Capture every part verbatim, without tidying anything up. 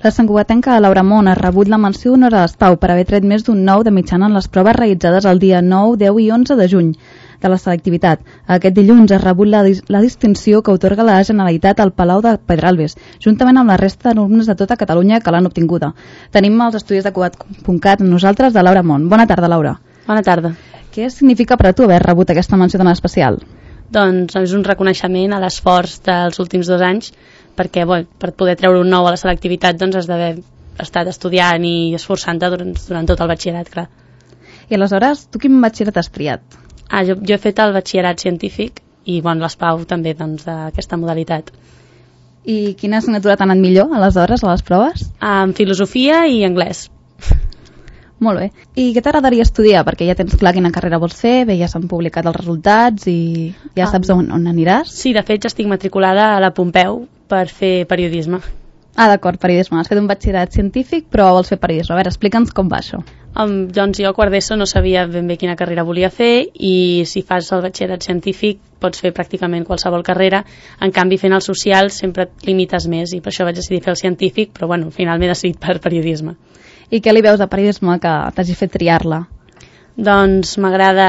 La santcugatenca Laura Mont ha rebut la menció honoris Pau per haver tret més d'un nou de mitjana en les proves realitzades el dia nou, deu i onze de juny de la selectivitat. Aquest dilluns ha rebut la, la distinció que otorga la Generalitat al Palau de Pedralbes, juntament amb la resta d'alumnes de tota Catalunya que l'han obtinguda. Tenim els estudis de Cugat punt cat amb nosaltres de Laura Mont. Bona tarda, Laura. Bona tarda. Què significa per a tu haver rebut aquesta menció tan especial? Doncs és un reconeixement a l'esforç dels últims dos anys, perquè bé, per poder treure un nou a la selectivitat doncs has d'haver estat estudiant i esforçant-te durant, durant tot el batxillerat, clar. I aleshores, tu quin batxillerat has triat? Ah, jo, jo he fet el batxillerat científic i bon, l'ESPAU també doncs, d'aquesta modalitat. I quina assignatura t'ha anat millor, aleshores, a les proves? En filosofia i anglès. Molt bé. I què t'agradaria estudiar? Perquè ja tens clar quina carrera vols fer, bé, ja s'han publicat els resultats i ja saps on, on aniràs? Sí, de fet, ja estic matriculada a la Pompeu per fer periodisme. Ah, d'acord, periodisme. Has fet un batxillerat científic, però vols fer periodisme. A veure, explica'ns com va això. Um, doncs jo a quart d'ESO no sabia ben bé quina carrera volia fer i si fas el batxillerat científic pots fer pràcticament qualsevol carrera. En canvi, fent el social sempre et limites més i per això vaig decidir fer el científic, però bueno, al final m'he decidit per periodisme. I què li veus a periodisme que t'hagi fet triar-la? Doncs m'agrada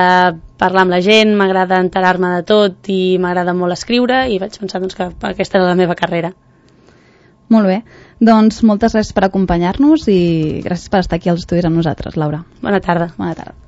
parlar amb la gent, m'agrada enterar-me de tot i m'agrada molt escriure i vaig pensar doncs, que aquesta era la meva carrera. Molt bé. Doncs moltes gràcies per acompanyar-nos i gràcies per estar aquí als estudis amb nosaltres, Laura. Bona tarda. Bona tarda.